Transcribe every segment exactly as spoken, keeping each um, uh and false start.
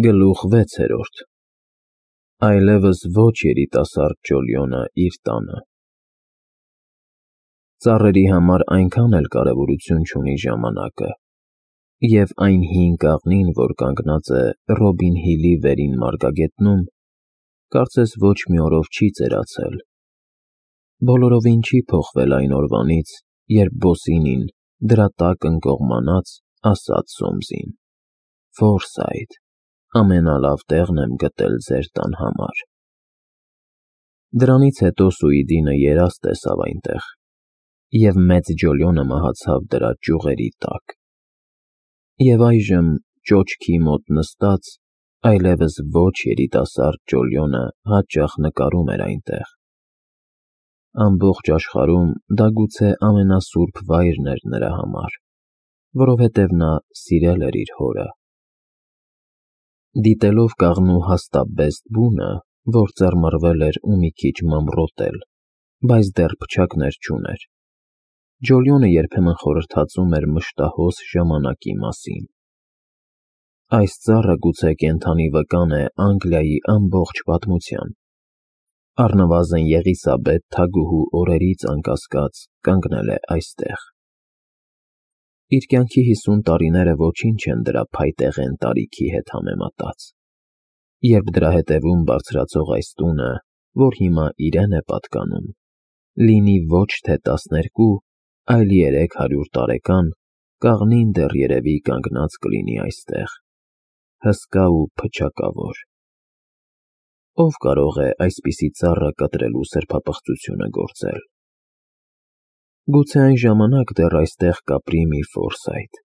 Գլուխ վեցերորդ Այլևս ոչ երիտասարդ Ջոլիոնը իր տանը։ Ծառերի համար այնքան էլ կարևորություն չունի ժամանակը, և այն հին կաղնին, որ կանգնած է Ռոբին Հիլի վերին մարգագետնում, կարծես ոչ մի օրով չի ծերացել։ Բոլորովին չի փոխվել այն օրվանից, երբ Բոսինին, դրա տակ ընկող մանած, ասաց Սոմսին. «Ֆորսայթ, ամենալավ տեղն եմ գտել ձեր տան համար»։ Դրանից հետո Սուիդինը երազ տեսավ այնտեղ, և մեծ Ջոլիոնը մահացավ դրա ճյուղերի տակ։ Եվ այժմ, ճոճքի մոտ նստած, այլևս ոչ երիտասարդ Ջոլիոնը հաճախ նկարում էր այնտեղ։ Ամբողջ աշխարհում դա գուցե ամենասուրբ վայրն էր նրա համար, որովհետև նա սիրել էր իր հորը։ Դիտելով կաղնու հաստաբեստ բունը, որ ծռմռվել էր ու մի քիչ մամռոտել, բայց դեռ փչակներ չուներ, Ջոլիոնը երբեմն խորհրդածում էր մշտահոս ժամանակի մասին։ Այս ծառը գուցե կենդանի վկան է Անգլիայի ամբողջ պատմության։ Առնվազն Եղիսաբեթ թագուհու օրերից անկասկած կանգնել է այստեղ։ Իր կյանքի հիսուն տարիները ոչինչ են դրա փայտեղեն տարիքի հետ համեմատած, երբ դրա հետևում բարձրացող այս տունը, որ հիմա իրեն է պատկանում, լինի ոչ թե տասներկու, այլ երեք հարյուր տարեկան, կաղնին դեռ երևի կանգնած կլինի այստեղ, հսկա ու փչակավոր։ Ո՞վ կարող է այսպիսի ծառը կտրելու սրբապղծությունը գործել։ Գուցե այն ժամանակ դեռ այստեղ կապրի մի Ֆորսայթ,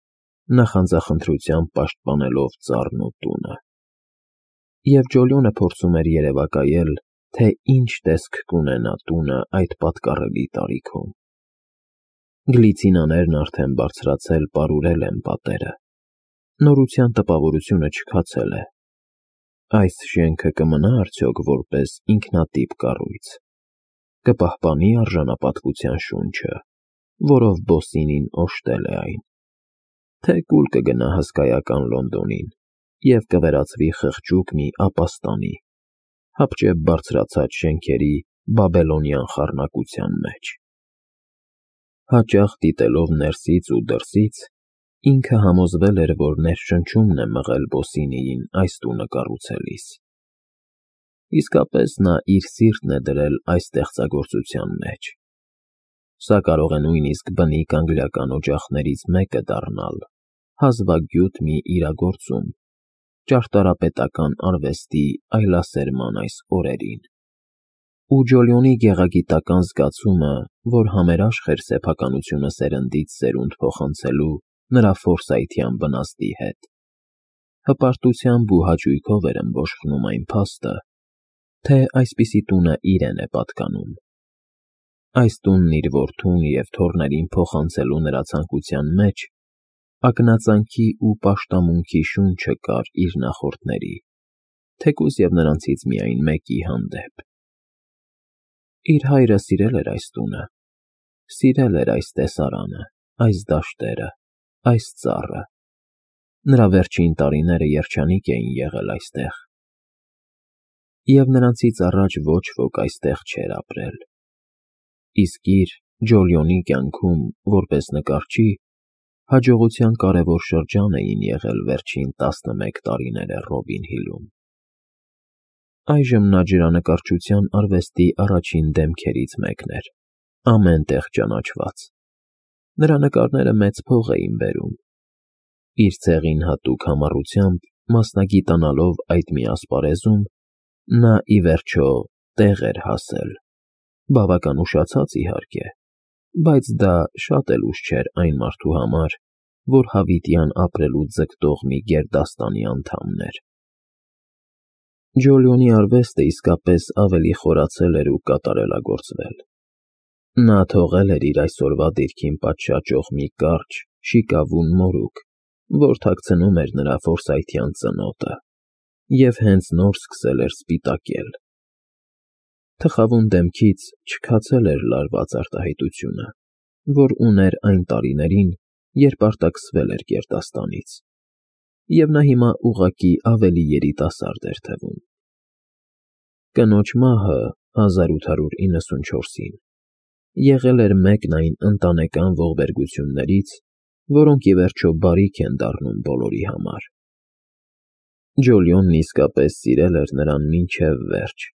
նախանձախնդրությամբ պաշտպանելով ծառն ու տունը։ Եվ Ջոլիոնը փորձում էր երևակայել, թե ինչ տեսք կունենա տունը այդ պատկառելի տարիքում։ Գլիցինաներն արդեն բարձրացել պարուրել են պատերը, նորության տպավորությունը չքացել է։ Այս շենքը կմնա արդյոք որպես ինքնատիպ կառույց, կպահպանի արժանապատվության շունչը, որով Բոսինին օժտել է այն, թե կուլ կգնա հսկայական Լոնդոնին և կվերածվի խղճուկ մի ապաստանի, հապճեպ բարձրացած շենքերի բաբելոնյան խառնակության մեջ։ Հաճախ դիտելով ներսից ու դրսից, ինքը համոզվել էր, որ ներշնչումն է մղել Բոսինիին այս տունը կառուցելիս։ Իսկապես նա իր սիրտն է դրել այս ստեղծագործության մեջ։ Սա կարող է նույնիսկ բնիկ անգլիական օջախներից մեկը դառնալ, հազվագյուտ մի իրագործում, ճարտարապետական արվեստի այլասերման այս օրերին։ Ու Ջոլիոնի գեղագիտական զգացումը, որ համերաշխ էր սեփականությունը սերնդից սերունդ փոխանցելու նրա ֆորսայթյան բնազդի հետ, հպարտությամբ ու հաճույքով էր ըմբոշխնում այն փաստը, թե այսպիսի տունը իրեն է պատկանում։ Այս տունն իր որդուն և թոռներին փոխանցելու նրա ցանկության մեջ ակնածանքի ու պաշտամունքի շունչը կար իր նախորդների, թեկուզ և նրանցից միայն մեկի հանդեպ։ Իր հայրը սիրել էր այս տունը, սիրել էր այս տեսարանը, այս դաշտերը, այս ծառը։ Նրա վերջին տարիները երջանիկ էին եղել այստեղ։ Եվ նրանցից առաջ ոչ ոք այստեղ չէր ապրել։ Իսկ իր՝ Ջոլիոնի կյանքում, որպես նկարչի, հաջողության կարևոր շրջան էին եղել վերջին տասնմեկ տարիները Ռոբին Հիլում։ Այժմ նա ջրանկարչության արվեստի առաջին դեմքերից մեկն էր, ամեն տեղ ճանաչված։ Նրա նկարները մեծ փող էին բերում։ Իր ցեղին հատուկ համառությամբ մասնագիտանալով այդ մի ասպարեզում, նա, ի վերջո, տեղ էր հասել, բավական ուշացած, իհարկե, բայց դա շատ էլ ուշ չէր այն մարդու համար, որ հավիտյան ապրելու ձգտող մի գերդաստանի անդամն էր։ Ջոլիոնի արվեստը իսկապես ավելի խորացել էր ու կատարելագործվել։ Նա թողել էր իր այսօրվա դիրքին պատշաճող մի կարճ, շիկավուն մորուք, որ թաքցնում էր նրա ֆորսայթյան ծնոտը, և հենց նոր սկսել էր սպիտակել։ Թխավուն դեմքից չքացել էր լարված արտահայտությունը, որ ուներ այն տարիներին, երբ արտաքսվել էր գերդաստանից, և նա հիմա ուղղակի ավելի երիտասարդ էր թվում։ Կնոջ մահը հազար ութ հարյուր իննսունչորսին եղել էր մեկն այն ընտանեկան ողբերգություններից, որոնք ի վերջո բարիք են դառնում բոլորի համար։ Ջոլիոնն իսկապես սիրել էր նրան մինչև վերջ,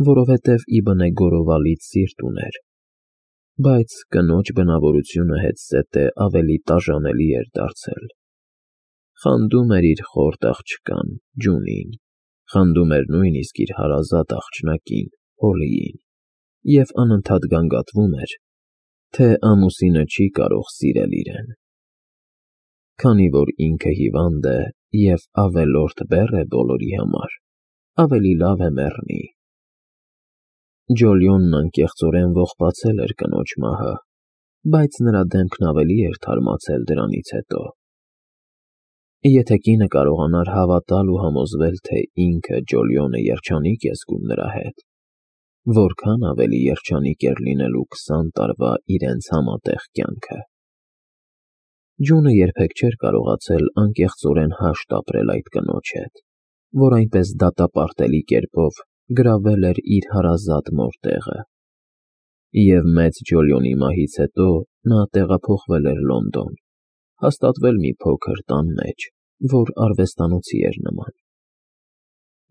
որովհետև ի բնե գորովալից սիրտ ուներ, բայց կնոջ բնավորությունը հետզհետե ավելի տաժանելի էր դարձել։ Խանդում էր իր խորտ աղջկան՝ Ջունին, խանդում էր նույնիսկ իր հարազատ աղջնակին՝ Հոլիին, և անընդհատ գանգատվում էր, թե ամուսինը չի կարող սիրել իրեն։ Քանի որ ինքը հիվանդ է և ավելորդ բեռ է բոլորի համար, ավելի լավ է մեռնի։ Ջոլիոնն անկեղծորեն ողբացել էր կնոջ մահը, բայց նրա դեմքն ավելի էր թարմացել դրանից հետո։ Եթե կինը կարողանար հավատալ ու համոզվել, թե ինքը՝ Ջոլիոնը, երջանիկ է զգում նրա հետ, որքան ավելի երջանիկ էր լինելու քսան տարվա իրենց համատեղ կյանքը։ Ջունը երբեք չէր կարողացել անկեղծորեն հաշտ ապրել այդ կնոջ հետ, որ այնպես դատապարտելի կերպով գրավել էր իր հարազատ մոր տեղը։ Եվ մեծ Ջոլիոնի մահից հետո նա տեղափոխվել էր Լոնդոն, հաստատվել մի փոքր տան մեջ, որ արվեստանոցի էր նման։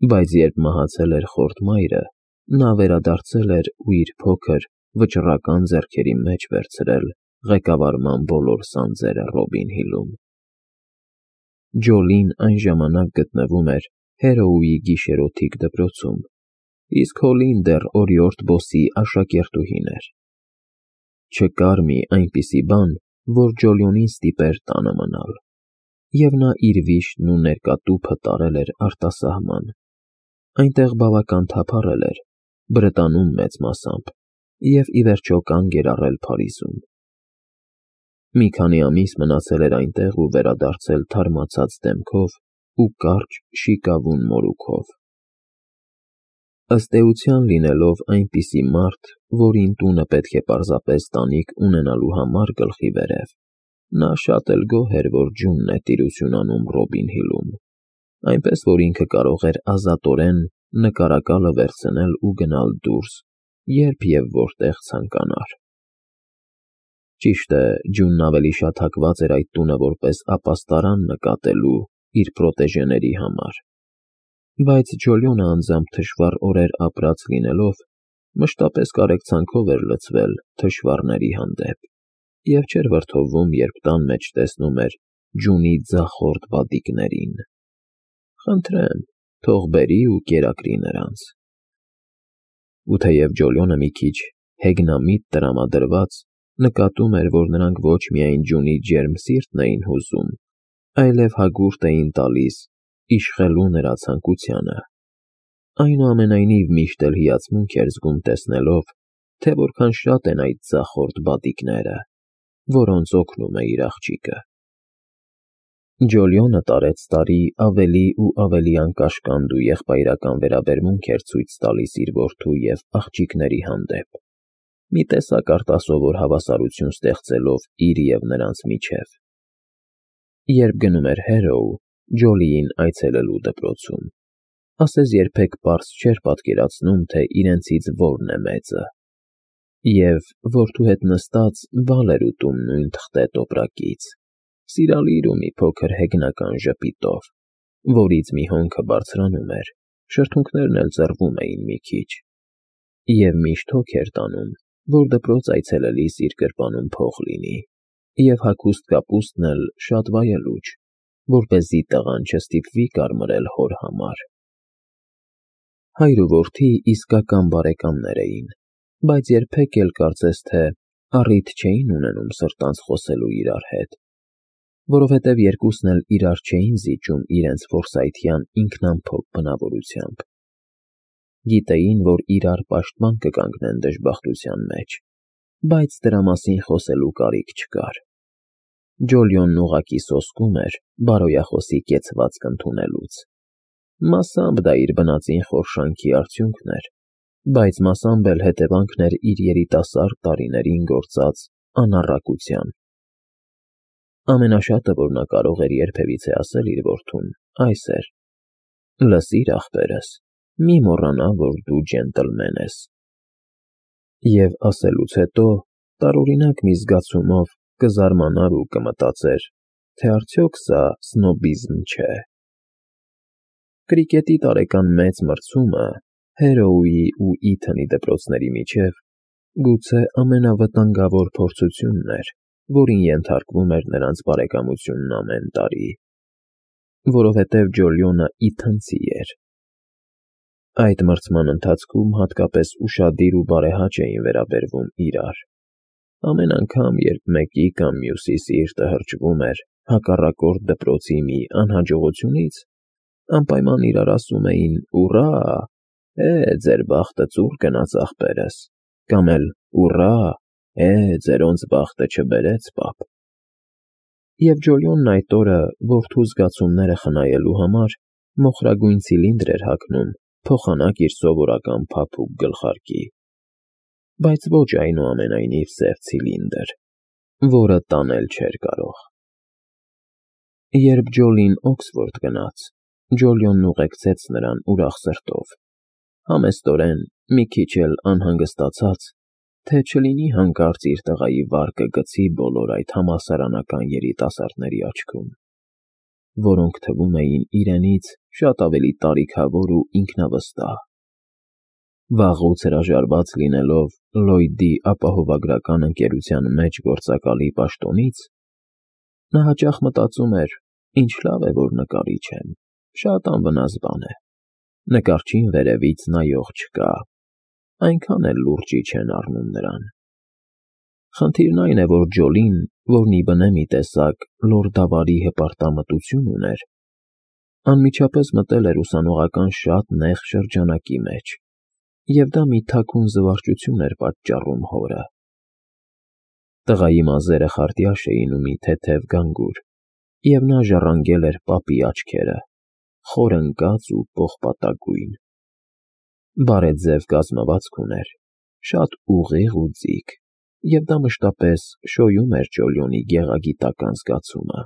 Բայց երբ մահացել էր խորտ մայրը, նա վերադարձել էր ու իր փոքր, վճռական ձեռքերի մեջ վերցրել ղեկավարման բոլոր սանձերը Ռոբին Հիլում։ Ջոլին այն ժամանակ գտնվում էր Հերոուի գիշերօթիկ դպրոցում, իսկ Հոլին դեռ օրիորդ Բոսի աշակերտուհին էր։ Չկար մի այնպիսի բան, որ Ջոլիոնին ստիպեր տանը մնալ, և նա իր վիշտն ու ներկատուփը տարել էր արտասահման, այնտեղ բավական թափառել էր, Բրետանում մեծ մասամբ, և ի վերջո կանգ էր առել Փարիզում։ Մի քանի ամիս մնացել էր այնտեղ ու վերադարձել թարմացած դեմքով ու կարճ, շիկավուն մորուքով։ Ըստ էության լինելով այնպիսի մարդ, որին տունը պետք է պարզապես տանիք ունենալու համար գլխի վերև, նա շատ էլ գոհ էր, որ Ջունն է տիրություն անում Ռոբին Հիլում, այնպես որ ինքը կարող էր ազատորեն նկարակալը վերցնել ու գնալ դուրս, երբ և որտեղ ցանկանար։ Ճիշտ է, Ջունն ավելի շատ հակված էր այդ տունը որպես ապաստարան նկատելու իր պրոտեժեների համար, բայց Ջոլիոնը անձամբ թշվառ օրեր ապրած լինելով, մշտապես կարեկցանքով էր լցվել թշվառների հանդեպ և չէր վրդովվում, երբ տան մեջ տեսնում էր Ջունի ձախորդ բադիկներին։ Խնդրեմ, թող բերի ու կերակրի նրանց։ Ու թեև Ջոլիոնը մի քիչ հեգնամիտ տրամադրված նկատում էր, որ նրանք ոչ միայն Ջունի ջերմ սիրտն էին հուզում, այլև հագուրդ էին տալիս իշխելու նրա ցանկությանը, այնուամենայնիվ միշտ էլ հիացմունք էր զգում տեսնելով, թե որքան շատ են այդ ձախորդ բադիկները, որոնց օգնում է իր աղջիկը։ Ջոլիոնը տարեց տարի ավելի ու ավելի անկաշկանդ ու եղբայրական վերաբերմունք էր ցույց տալիս իր որդու և աղջիկների հանդեպ, մի տեսակ արտասովոր հավասարություն ստեղծելով իր և նրանց միջև։ Երբ գնում էր Հերոու, Ջոլիին այցելելու դպրոցում, ասես երբեք պարզ չէր պատկերացնում, թե իրենցից որն է մեծը, և, որդու հետ նստած, բալ էր ուտում նույն թղթե տոպրակից, սիրալիր ու մի փոքր հեգնական ժպիտով, որից մի հոնքը բարձրանում էր, շրթունքներն էլ ծռվում էին մի քիչ, և միշտ հոգ էր տանում, որ դպրոց այցելելիս իր գրպանում փող լինի, և հագուստ կապուստն էլ շատ վայելուչ, որպեսզի տղան չստիպվի կարմրել հոր համար։ Հայր ու որդի իսկական բարեկամներ էին, բայց երբեք էլ կարծես թե առիթ չէին ունենում սրտանց խոսելու իրար հետ, որովհետև երկուսն էլ իրար չէին զիջում իրենց ֆորսայթյան ինքնամփոփ բնավորությամբ։ Գիտեին, որ իրար պաշտպան կկանգնեն դժբախտության մեջ, բայց դրա մասին խոսելու կարիք չկար։ Ջոլիոնն ուղղակի սոսկում էր բարոյախոսի կեցվածք ընդունելուց։ Մասամբ դա իր բնածին խորշանքի արդյունքն էր, բայց մասամբ էլ հետևանքն էր իր երիտասարդ տարիներին գործած անառակության։ Ամենաշատը, որ նա կարող էր երբևիցե ասել իր որդուն, այս էր. «Լսիր, ախպերս, մի մոռանա, որ դու ջենտլմեն ես»։ Եվ ասելուց հետո տարօրինակ մի զգացումով կզարմանար ու կմտածեր, թե արդյոք սա սնոբիզմ չէ։ Կրիկետի տարեկան մեծ մրցումը Հերոուի ու Իթանի դպրոցների միջև գուցե ամենավտանգավոր փորձությունն էր, որին ենթարկվում էր նրանց բարեկամությունն ամեն տարի, որովհետև Ջոլիոնը իթանցի էր։ Այդ մրցման ընթացքում հատկապես ուշադիր ու բարեհաճ էին վերաբերվում իրար։ Ամեն անգամ, երբ մեկի կամ մյուսի սիրտը հրճվում էր հակառակորդ դպրոցի մի անհաջողությունից, անպայման իրար ասում էին «Ուռա, է, ձեր բախտը ծուռ գնաց, ախպերս», կամ էլ «Ուռա, է, ձերոնց բախտը չբերեց, պապ»։ Եվ Ջոլիոնն այդ օրը որդու զգացումները խնայելու համար մոխրագույն ցիլինդր էր հագնում փոխանակ իր սովորական փափուկ գլխարկի, բայց ոչ այնուամենայնիվ սև ցիլինդր, որը տանել չէր կարող։ Երբ Ջոլին Օքսֆորդ գնաց, Ջոլիոնն ուղեկցեց նրան ուրախ սրտով, համեստորեն, մի քիչ էլ անհանգստացած, թե չլինի հանկարծ իր տղայի վարկը գցի բոլոր այդ համալսարանական երիտասարդների աչքում, որոնք թվում էին իրենից շատ ավելի տարիքավոր ու ինքնավստահ։ Վաղուց հրաժարված լինելով Լլոյդի ապահովագրական ընկերության մեջ գործակալի պաշտոնից, նա հաճախ մտածում էր. «Ինչ լավ է, որ նկարիչ եմ, շատ անվնաս բան է, նկարչին վերևից նայող չկա, այնքան էլ լուրջի չեն առնում նրան»։ Խնդիրն այն է, որ Ջոլին, որն ի բնե մի տեսակ լորդավարի հպարտամտություն ուներ, անմիջապես մտել էր ուսանողական շատ նեղ շրջանակի մեջ, և դա մի թաքուն զվարճություն էր պատճառում հորը։ Տղայի մազերը խարտյաշ էին ու մի թեթև գանգուր, և նա ժառանգել էր պապի աչքերը, խոր ընկած ու պողպատագույն։ Բարեձև կազմվածք ուներ, շատ ուղիղ ու ձիգ, և դա մշտապես շոյում էր Ջոլիոնի գեղագիտական զգացումը,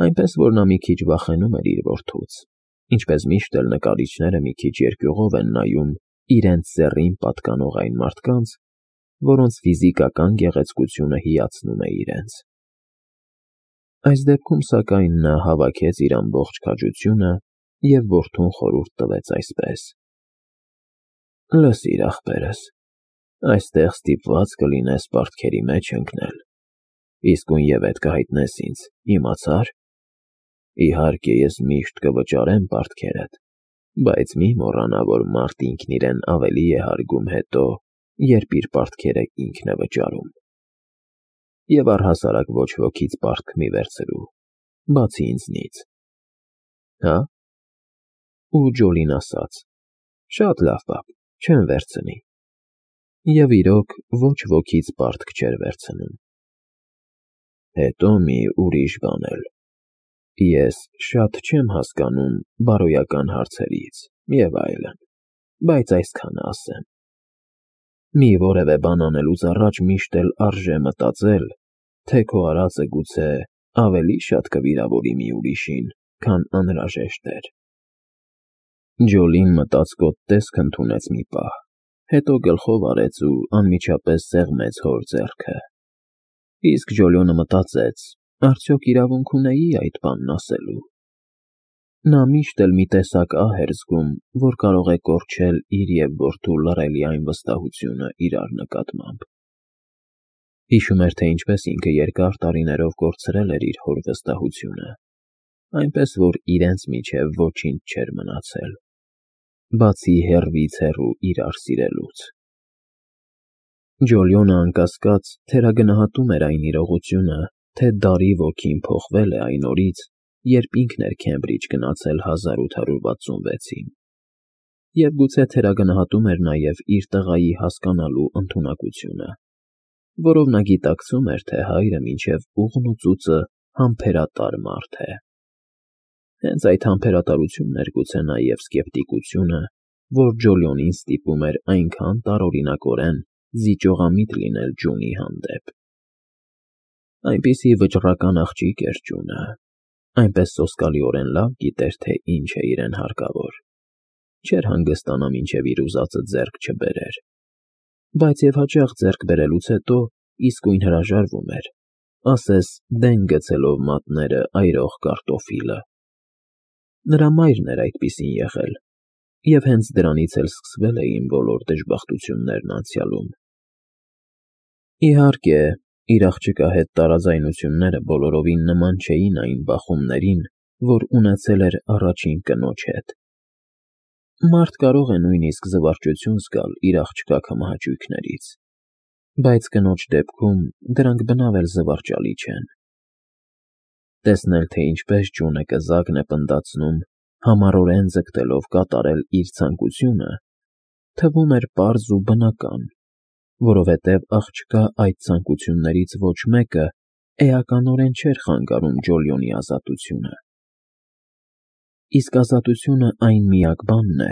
այնպես որ նա մի քիչ վախենում էր իր որդուց, ինչպես միշտ էլ նկարիչները մի քիչ երկյուղով են նայում իրենց ձեռին պատկանող այն մարդկանց, որոնց ֆիզիկական գեղեցկությունը հիացնում է իրենց։ Այս դեպքում, սակայն, նա հավաքեց իր ամբողջ քաջությունը և որդուն խորհուրդ տվեց այսպես. «Լսիր, ախպերս, այստեղ ստիպված կլինես պարտքերի մեջ ընկնել, իսկույն ետ կհայտնես ինձ, իմացա՞ր։ Իհարկե, ես միշտ կվճարեմ պարտքերդ, բայց մի մոռանա, որ մարդ ինքն իրեն ավելի է հարգում հետո, երբ իր պարտքերը ինքն է վճարում։ Եվ առհասարակ ոչ ոքից պարտք մի վերցրու, բացի ինձնից»։ Հա՞։ Ու Ջոլին ասաց. «Շատ լավ, պապ, չեմ վերցնի»։ Եվ իրոք, ոչ ոքից պարտք չէր վերցնում։ Հետո մի ուրիշ բան էլ. ես շատ չեմ հասկանում բարոյական հարցերից և այլն, բայց այսքանը ասեմ. մի որևէ բան անելուց առաջ միշտ էլ արժե մտածել, թե քո արածը գուցե ավելի շատ կվիրավորի մի ուրիշին, քան անհրաժեշտ էր։ Ջոլին մտածկոտ տեսք ընդունեց մի պահ, հետո գլխով արեց ու անմիջապես սեղմեց հոր ձեռքը։ Իսկ Ջոլիոնը մտածեց. արդյոք իրավունք ունեի այդ բանն ասելու։ Նա միշտ էլ մի տեսակ ահ էր զգում, որ կարող է կորչել իր և որդու լռելի այն վստահությունը իրար նկատմամբ։ Հիշում էր, թե ինչպես ինքը երկար տարիներով կորցրել էր իր հոր վստահությունը, այնպես որ իրենց միջև ոչինչ չէր մնացել, բացի հեռվից հեռու իրար սիրելուց։ Ջոլիոնը անկասկած թերագնահատում էր այն իրողությունը, թե դարի ոգին փոխվել է այն օրից, երբ ինքն էր Քեմբրիջ գնացել հազար ութ հարյուր վաթսունվեցին, և գուցե թերագնահատում էր նաև իր տղայի հասկանալու ընդունակությունը, որով նա գիտակցում էր, թե հայրը մինչև ուղն ու ծուծը համբերատար մարդ է։ Հենց այդ համբերատարությունն էր գուցե նաև սկեպտիկությունը, որ Ջոլիոնին ստիպում էր այնքան տարօրինակորեն զիջողամիտ լինել Ջունի հանդեպ։ Այնպիսի վճռական աղջիկ էր Ջունը, այնպես սոսկալիորեն լավ գիտեր, թե ինչ է իրեն հարկավոր, չէր հանգստանա, մինչև իր ուզածը ձեռք չբերեր, բայց և հաճախ ձեռք բերելուց հետո իսկույն հրաժարվում էր, ասես դեն գցելով մատները այրող կարտոֆիլը։ Նրա մայրն էր այդպիսին եղել, և հենց դրանից էլ սկսվել էին բոլոր դժբախտություններն անցյալում։ Իհարկե, իր աղջկա հետ տարաձայնությունները բոլորովին նման չէին այն բախումներին, որ ունեցել էր առաջին կնոջ հետ։ Մարդ կարող է նույնիսկ զվարճություն զգալ իր աղջկա քմահաճույքներից, բայց կնոջ դեպքում դրանք բնավ էլ զվարճալի չեն։ Տեսնել, թե ինչպես Ջունը կզակն է պնդացնում, համառորեն ձգտելով կատարել իր ցանկությունը, թվում էր պարզ ու բնական, որովհետև աղջկա այդ ցանկություններից ոչ մեկը էականորեն չէր խանգարում Ջոլիոնի ազատությունը։ Իսկ ազատությունը այն միակ բանն է,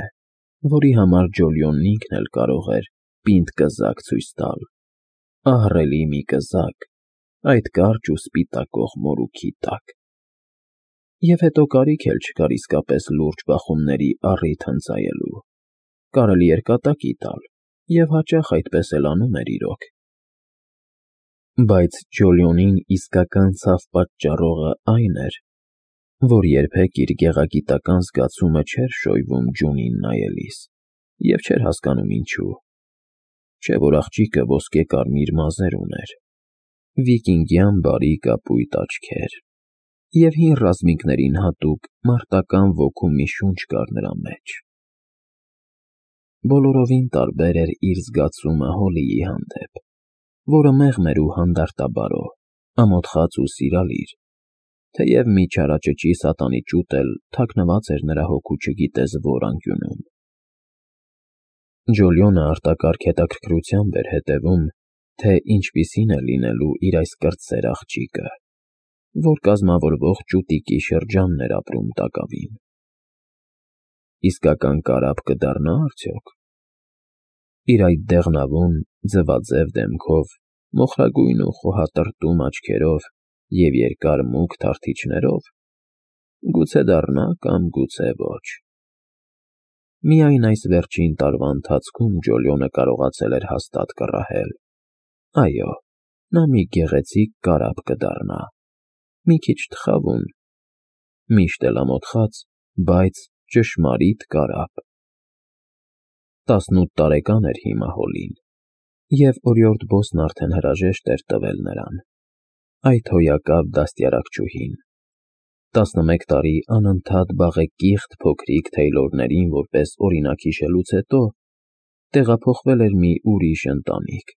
որի համար Ջոլիոնն ինքն էլ կարող էր պինդ կզակ ցույց տալ, ահռելի մի կզակ այդ կարճ ու սպիտակող մորուքի տակ։ Եվ հետո կարիք էլ չկար իսկապես լուրջ բախումների առիթ հնձայելու, կարելի էր կատակի տալ, և հաճախ այդպես էլ անում էր իրոք։ Բայց Ջոլիոնին իսկական ցավ պատճառողը այն էր, որ երբեք իր գեղագիտական զգացումը չէր շոյվում Ջունին նայելիս, և չէր հասկանում ինչու, չէ՞ որ աղջիկը ոսկե֊կարմիր մազեր ուներ, վիկինգյան բարի կապույտ աչքեր, և հին ռազմիկներին հատուկ մարտական ոգու մի շունչ կար նրա մեջ։ Բոլորովին տարբեր էր իր զգացումը Հոլլիի հանդեպ, որը մեղմ էր ու հանդարտաբարո, ամոթխած ու սիրալիր, թեև մի չարաճճի սատանի ճուտ էլ թաքնված էր նրա հոգու չգիտես որ անկյունում։ Ջոլիոնը արտակարգ հետաքրքրությամբ էր հետևում, թե ինչպիսին է լինելու իր այս կրտսեր աղջիկը, որ կազմավորվող ճուտիկի շրջանն էր ապրում տակավին։ Իսկական կարապ կդառնա՞ արդյոք։ Իր այդ դեղնավուն, ձվաձև դեմքով, մոխրագույն ու խոհատրտում աչքերով և երկար մուգ թարթիչներով, գուցե դառնա կամ գուցե ոչ։ Միայն այս վերջին տարվա ընթացքում Ջոլիոնը կարողացել էր հաստատ կռահել. այո, նա մի գեղեցիկ կարապ կդառնա, մի քիչ թխավուն, միշտ էլ ամոթխած, բայց ճշմարիտ կարապ։ Տասնութ տարեկան էր հիմա Հոլլին, և օրիորդ Բոսն արդեն հրաժեշտ էր տվել նրան, այդ հոյակապ դաստիարակչուհին։ Տասնմեկ տարի անընդհատ բաղեկիղտ փոքրիկ Թեյլորներին որպես օրինակ հիշելուց հետո տեղափոխվել էր մի ուրիշ ընտանիք,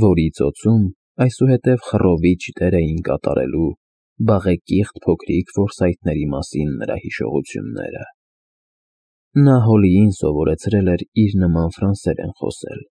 որի ծոցում այսուհետև խռովիչ դեր էին կատարելու բաղեկիղտ փոքրիկ որսայթների մասին նրա հիշողությունները։ Նա Հոլլիին սովորեցրել էր իր նման ֆրանսերեն խոսել,